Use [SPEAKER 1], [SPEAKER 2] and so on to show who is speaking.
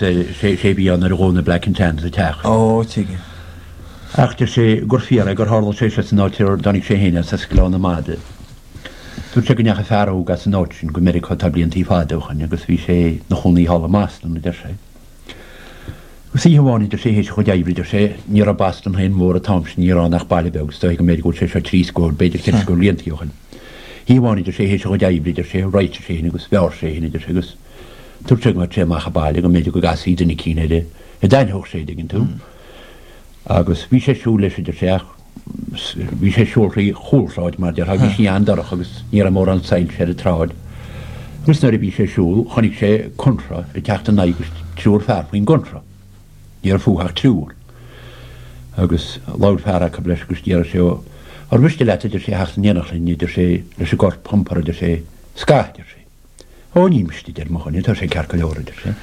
[SPEAKER 1] Sé a bhí ann nuair a ghabh na Black and Tans an teach.
[SPEAKER 2] Ó, tuigim.
[SPEAKER 1] Ach deir sé gur fíor é gur tharla sé seo san áit ar dtáinig sé féin as, as Gleann na Madadh. Dúirt sé go ndeachaigh fear óg as an áit sin go Meiriceá tá bliantaí fada ó shoin agus bhí sé 'na chónaí thall i mBoston, a deir sé. Agus oíche amháin, a deir sé, théis a chuid oibre, a deir sé, ní raibh Boston féin mór an t-am sin, ní raibh ann ach baile beag, is dóigh go mb'fhéidir go bhfuil sé seo 30, b'fhéidir 40 bliantaí ó shoin. Oíche amháin, a deir sé, théis a chuid oibre, a deir sé, réitigh sé féin agus bhearr sé féin, a deir sé, agus Dúirt sé go mbeadh sé amach an baile go mb'fhéidir go gcasfaí duine eicínt air a d'aithneodh sé, dtuigeann tú. Agus bhí sé ag siúl leis, a deir sé, ach bhí sé ag siúl thrí chúlshráid, mar a déarfá, bhí sí an-dorcha agus ní raibh mórán soilse ar an tsráid. Agus nuair a bhí sé ag siúl, chonaic sé contra ag teacht ina aghaidh agus triúr fear faoin gcontra. Ní raibh fúthu ach triúr. Agus labhair fear acu leis agus deir sé, Ó, ar mhiste leat, a deir sé, theacht in éineacht linn, a deir sé, leis an gcorp a iompar, a deir sé, scaitheamh, a deir sé. Ó, ní miste, a deir mo dhuine, tá sé ceart go leor, a deir sé.